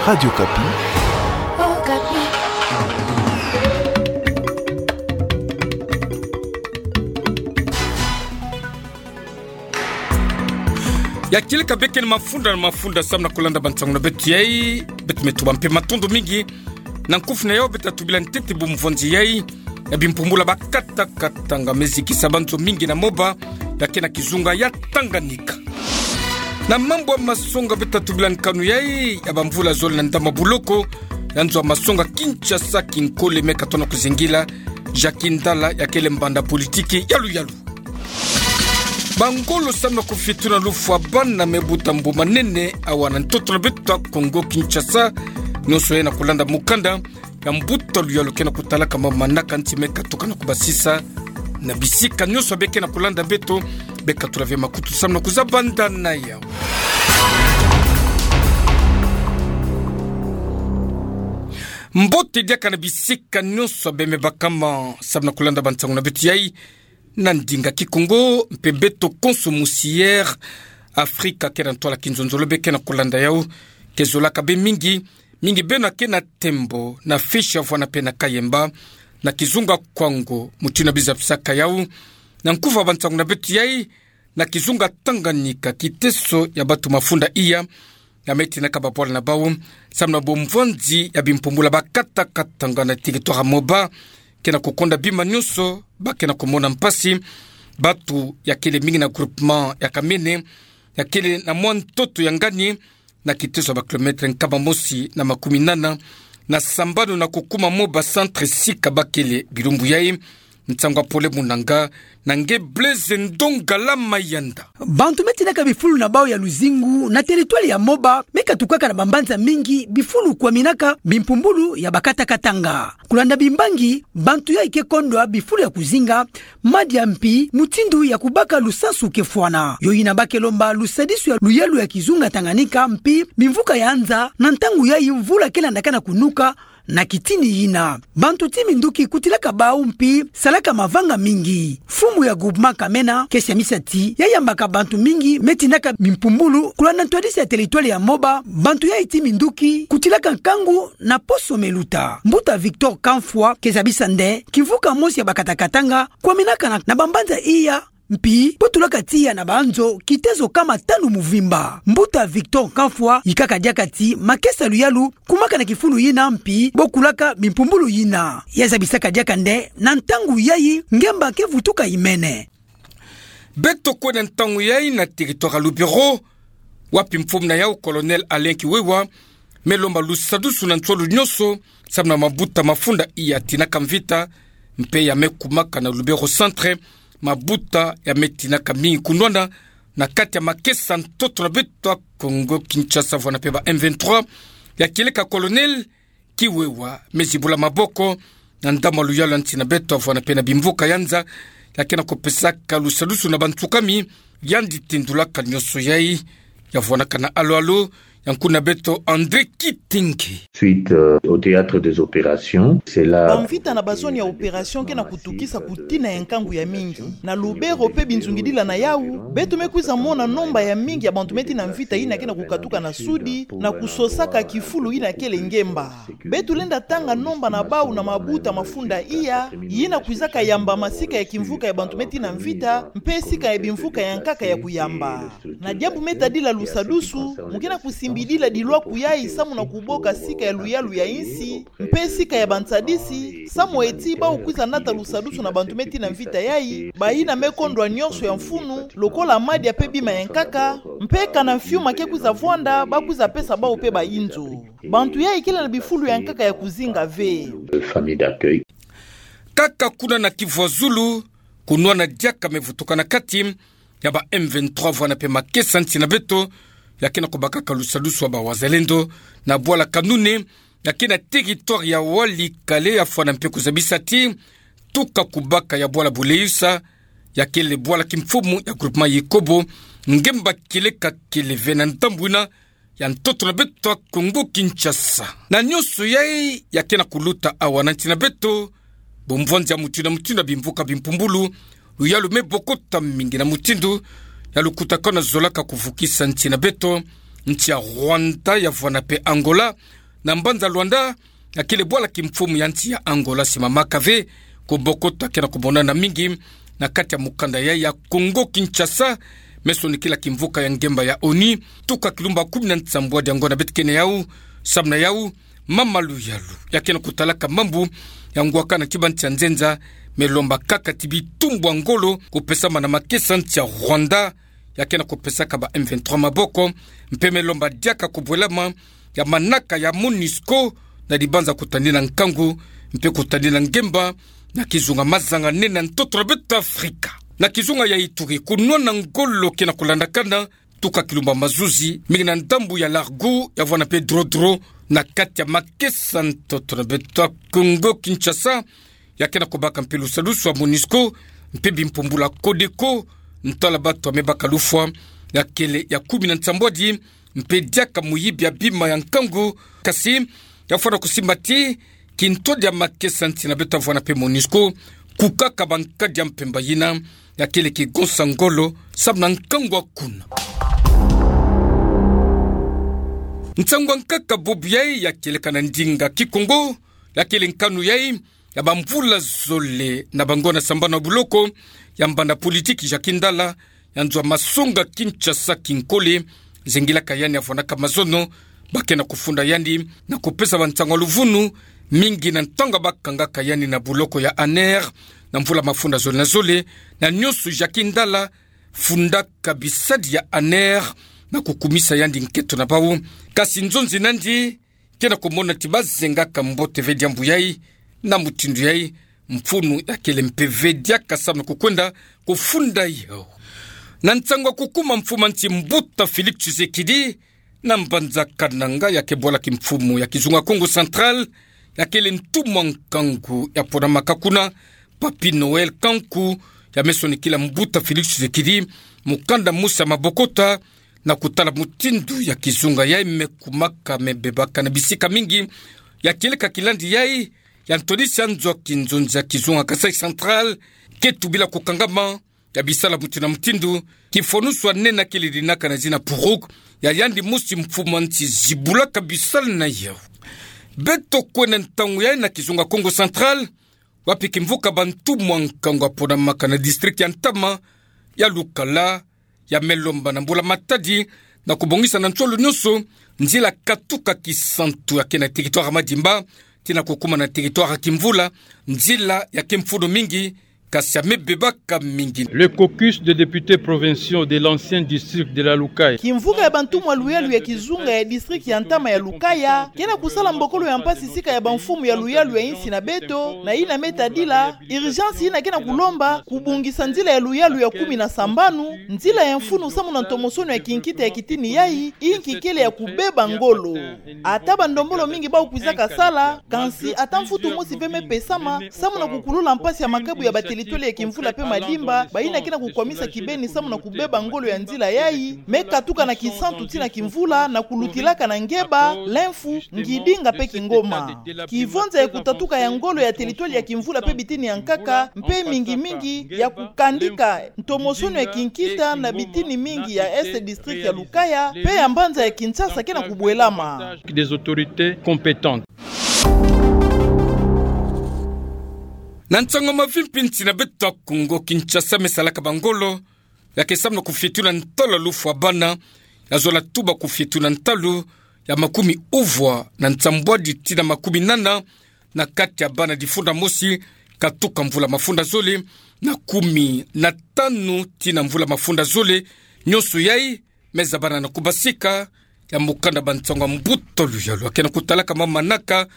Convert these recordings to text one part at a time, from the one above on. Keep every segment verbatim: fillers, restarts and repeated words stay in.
Radio Okapi. Ya kieleka beke na mafunda na mafunda samu na kulanda bansangu na beto yai. Beto me tuba mpe matondo mingi na nkufi na yau beto tubila ntete bumvwanzi yai ya bimpumbulu ya bakata katanga mezikisa banzo mingi na Moba, ya ke na kizunga ya Tanganyika. Na mambu ya masonga beto tubila nkanu yai ya bamvula zole na ndambu ya buloko ya nzo ya masonga Kinshasa, kinkole me katona kuzingila Jacques Ndala, ya kele mbanda politiki ya luyalu. Bangolo samu na kufituna lufwa bana me buta mbu manene awa na ntoto na beto ya Kongo Kinshasa. Nyonso yai na kulanda mukanda ya mbuta luyalu ke na kutalaka ma manaka nti me katuka na kubasisa na bisika nyonso. Beke na kulanda beto, beka tula ve makutu samu na kuzabanda na yau. Mbote diaka na bisika nyonso beno me bakama samu na kulanda bansangu na beto yai na ndinga Kikongo mpe beto konso musi Air Afrika ke na ntwala kinzonzolo beke na kulanda yau. Ke zolaka be mingi, mingi beno ke na Tembo, na Fish ya vwana mpe na Kayemba, na kizunga Kwango, mutindu bizapisaka yau na nkufi ya bansangu na beto yai, na kizunga Tanganyika, kiteso ya bato mafunda iya ya me tinaka babwala na bau samu na bumvwanzi ya bimpumbulu ya bakata katanga na territoire ya Moba ke na kukonda bima nyonso. Ba ke na kumona mpasi bato ya kele mingi na groupement ya Kamene, ya kele na mwa ntoto ya Ngani, na kiteso ya ba kilomètre nkama mosi na makumi nana na sambanu na kukuma Moba Centre, sika ba kele bilumbu yai. Nsangu ya pole mu nanga na nge Blaise Ndongala Mayanda. Bantu me tinaka bifulu na bau ya luzingu na territoire ya Moba me katukaka na bambanza mingi bifulu kwaminaka bimpumbulu ya bakata katanga. Kulanda bimbangi, bantu yai ke kondwa bifulu ya kuzinga, madia mpi mutindu ya kubaka lusansu ke fwana. Yo yina ba ke lomba lusadisu ya luyalu ya kizunga Tanganyika mpi bimvuka ya nza na ntangu yai mvula ke landaka na kunuka na kitini yina. Bantu ti minduki kutilaka bau mpi salaka mavanga mingi. Mfumu ya groupement Kamene ke siamisa ti ya yambaka bantu mingi me tinaka bimpumbulu kulanda ntwadisi ya territoire ya Moba, bantu yai ti minduki kutilaka nkangu na poso me luta. Mbuta Victor Kamfwa ke zabisa nde kimvuka mosi ya bakata katanga kwaminaka na, na bambanza iya, mpi bo tulaka tiya na banzo kitezo kama tanu muvimba. Mbuta Victor Kamfwa yikaka diaka ti makesa luyalu kumaka na kifulu yina mpi bo kulaka bimpumbulu yina. Ya zabisaka diaka nde na ntangu yai ngemba ke vutuka imene. Beto kwenda ntangu yai na territoire ya Lubero, wapi mfumu na yau Colonel Alain Kiwewa me lomba lusadusu na nswalu nyonso samu na mabuta mafunda iya tinaka mvita mpe ya me kumaka na Lubero Centre, mabuta ya me tinaka mingi kunwana na kati ya makesa ntoto na beto ya Kongo Kinshasa vwana mpe ba M vingt-trois. Ya kieleka Colonel Kiwewa me zibula maboko na ndambu ya luyalu ya nsi na beto ya vwana mpe na bimvuka ya nza, ya ke na kupesaka lusadusu na bantsukami yandi tindulaka nyonso yai. Ya vwanaka na alo-alo ya nkuna beto André Kitenge. Suite, euh, au théâtre des opérations, c'est là. Bamvita na bazone ya opération ke na kutukisa kutina ya nkangu ya mingi na Lubero mpe binzungidila na yau. Beto me kwiza mona nomba ya mingi ya bantu me tina mvita yina ke na kukatuka na sudi na kusosaka kifulu yina kele ngemba. Beto lenda tanga nomba na bau na mabuta mafunda iya yina kwizaka yamba masika ya kimvuka ya bantu me tina mvita mpe sika ya bimvuka ya nkaka ya kuyamba. Na diambu me tadila lusadusu, mu ke na kusimbidila dilwaku yai samu na kuboka sika ya luyalu ya insi mpe sika ya bansadisi, samu eti bau kwiza nata lusadusu na bantu me tina mvita yai, bayina me kondwa nyonso ya mfunu, lokola madia mpe bima ya nkaka, mpe kana mfiuma ke kwiza vwanda, ba kwiza pesa bau mpe bayinzo. Bantu yai kele na bifulu ya nkaka ya kuzinga ve. Famille d'accueil. Kaka kuna na Kivu ya Zulu, kunwana diaka me vutuka na kati ya ba M vingt-trois vwana mpe makesa nsi na beto, ya ke na kubakaka lusadusu ya ba wazalendo na bwala Kanune, ya ke na territoire ya Walikale, ya fwana mpe kuzabisa ti tuka kubaka ya bwala Buleyusa, ya kele bwala kimfumu ya groupement Yikobo, ngemba kieleka kele ve na ndambu yina ya ntoto na beto ya Kongo Kinshasa. Na nyonso yai ya ke na kuluta awa na nsi na beto, bumvwanzi ya mutindu na mutindu ya bimvuka bimpumbulu, luyalu me bokota mingi na mutindu ya lukutakanu zolaka kuvukisa nsi na beto, nsi ya Rwanda ya vwanda mpe Angola. Na mbanza Luanda, akele bwala kimfumu ya nsi ya Angola Simama Kave, kubokota ke na kumonana mingi na kati ya mukanda ya, ya Congo Kinshasa, me sonikila kimvuka ya ngemba ya ONU, tuka kilumba kumi na nsambwadi ya ngona beto kena yau, samu na yau mama luyalu ya ke na kutalaka mambu ya ngwaka na tiba nsi ya nzenza, me lomba kaka ti bitumbu ya ngolo kupesamana na makesa nsi ya Rwanda, ya ke na kupesaka ba M vingt-trois maboko, mpe me lomba diaka kubwelama ya manaka ya MONUSCO, na dibanza kutadina nkangu, mpe kutadina ngemba, na kizunga mazanga nene ya ntoto na beto Afrika. Na kizunga ya Ituri, kunwana ngolo ke na kulandakana, tuka kilumba mazuzi, mingi na ndambu ya Largou, ya vwanda mpe Drodro, na kati ya makesa ntoto na beto Congo Kinshasa, ya ke na kubaka mpe lusadusu ya MONUSCO, mpe bimpumbulu ya CODECO, ntwala bato ya me baka lufwa, ya kele ya kumi na nsambwadi, mpe diaka muyibi ya bima ya nkangu, kasi, ya fwana kusimba ti, kintwadi ya makesa nsi na beto ya vwanda mpe MONUSCO, kukaka bankadi ya mpemba yina, ya kele kigonsa ngolo, samu na nkangu ya kuna. Nsangu ya nkaka bubu yai ya kieleka na ndinga Kikongo, ya kele nkanu yai, ya bamvula zole na bangona sambanu ya buloko, ya mbanda politiki Jacques Ndala, ya nzo ya masonga Kinshasa kinkole, zengilaka yandi ya vwanaka mazono, ba ke na kufunda yandi, na kupesa bansangu ya luvunu, mingi na ntangu bakangaka yandi na buloko ya ANR, na mvula mafunda zole na zole, na nyonso Jacques Ndala, fundaka bisadi ya ANR, na kukumisa yandi nketo na bau. Kasi nzonzi nandi, ke na kumona ti bazengaka mbote ve diambu yai, na mutindu yai, mfunu ya kele mpe ve diaka samu na kukwenda kufunda yau. Na nsangu ya kukuma mfumu ya nsi mbuta Félix Tshisekedi, na mbanza Kananga ya ke bwala kimfumu ya kizunga Kongo Central, ya kele ntumwa nkangu ya ponamaka kuna, Papy Noël Kanku, ya me sonikila mbuta Félix Tshisekedi, mukanda mosi ya mabokota, na kutala mutindu ya kizunga yai me kumaka me bebaka na bisika mingi, ya kieleka kilandi yai, ya ntwadisi ya nzo ya kinzonzi ya kizunga Kasaï Central, ke tubila kukangama, ya bisala mutindu na mutindu, kifwanusu ya nene ya kele dinaka na zina Puruk, ya yandi mosi mfumu ya nsi zibulaka bisala na yau. Beto kwenda ntangu yai na kizunga Kongo Central, wapi kimvuka bantumwa nkangu ya ponamaka na district ya ntama, ya Lukala, ya me lomba na mbula matadi, na kubongisa na nsolo nyonso, nzila katuka Kisantu ya ke na territoire ya Madimba, tii na kukuma na territoire ya Kimvula, nzila ya ke mfunu mingi, kasi ya me bebaka mingi. Le caucus des députés provinciaux de l'ancien district de la Lukaya. Kimvuka ya bantumwa luyalu ya kizunga ya district ya ntama ya Lukaya, ke na kusala mbokolo ya mpasi sika ya bamfumu ya luyalu ya insi na beto, na yina me tadila, urgence yina ke na kulomba, kubongisa nzila ya luyalu ya kumi na sambanu, nzila ya mfunu samu na ntomosono ya kinkita ya kitini yai, inki kele ya kubeba ngolo. Ata bandombolo mingi bau kwizaka sala, kansi ata mfutu mosi ve me pesama, samu na kukulula mpasi ya makabu ya batelitwali ya Kimvula mpe Madimba, bayina ke na kukwamisa kibeni samu na kubeba ngolo ya nzila yai, me katuka na Kisantu tii na Kimvula, na kulutilaka na Ngeba, Lemfu, Ngidinga mpe Kingoma. Kivonza ya kutatuka ya ngolo ya telitwali ya Kimvula mpe bitini ya nkaka, mpe mingi mingi ya kukandika ntomosono ya kinkita na bitini mingi ya Est district ya Lukaya, mpe ya mbanza ya Kinshasa ke na kubwelama. Des autorités compétentes. Na nsangu mavimpi nsi na beto ya Kongo Kinshasa me salaka bangolo, ya ke samu na kufietula ntalu ya lufwa bana, ya zola tuba kufietula ntalu ya makumi uvwa na nsambwadi tii na makumi nana, na kati ya bana difunda mosi, katuka mvula mafunda zole, na kumi na tanu tii na mvula mafunda zole, nyonso yai, me zabana na kubasika, ya mukanda bansangu ya mbuta luyalu ya ke na kutalaka ma manaka,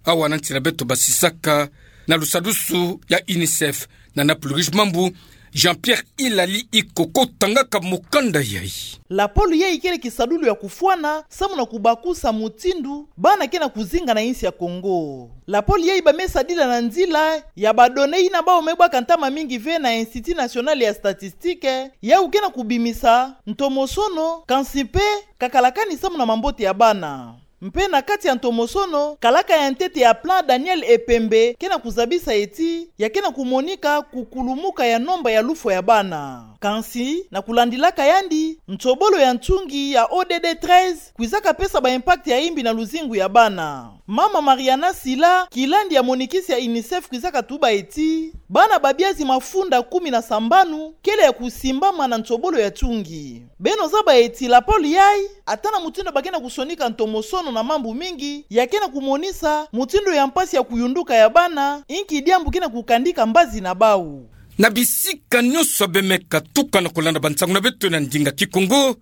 awa na nsi na beto basisaka, na lusadusu ya UNICEF, na Naples Rouge Mambu, Jean-Pierre Ilali Ikoko tangaka mukanda yai. Lapolo yai kele kisadulu ya kufwana, samu na kubakusa mutindu, bana ke na kuzinga na insi ya Kongo. Lapolo yai ba me sadila na nzila ya ba données yina bau me bwaka ntama mingi ve na Institut National ya Statistique, yau ke na kubimisa ntomosono, kansi mpe kakalakani samu na mambote ya bana. Mpe na kati ya ntomosono, kalaka ya ntete ya plan Daniel Epembe ke na kuzabisa ti ya ke na kumonika kukulumuka ya nomba ya lufwa ya bana. Kansi, na kulandilaka yandi, nsobolo ya ntungi ya O D D treize kwizaka pesa ba impact ya imbi na luzingu ya bana. Mama Mariana Sila, kilandi ya monitrice ya UNICEF, kwizaka tuba eti bana babia zi mafunda kumi na sambanu kele ya kusimbama na nsobolo ya ntungi. Beno zaba eti lapolo yayi, ata na mutindu ba ke na kusonika ntomosono na mambu mingi, ya ke na kumonisa mutindu ya mpasi ya kuyunduka ya bana, inki diambu ke na kukandika mbazi na bau. Na bisika nyonso abe me katuka na kulanda bansangu na beto na ndinga Kikongo,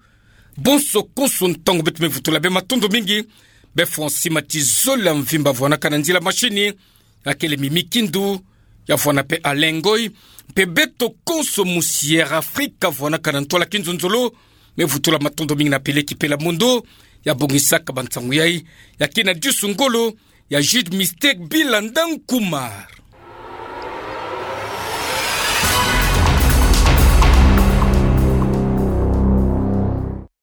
bonso konso ntangu beto me vutula bê, matondo mingi. Bê Francis Matizole ya Mvimba, vwanaka na nzila mashini, ya kele Mimi Kindu, ya vwana pe Alain Ngoy, mpe beto konso mu Sierra Africa, vwanaka na ntwala Kinzonzolo, me vutula matondo mingi na Peleki Pela Mondo, ya bongisaka bansangu yayi, ya kina disu ngolo, ya Jude Mistake Bilanda Nkumar.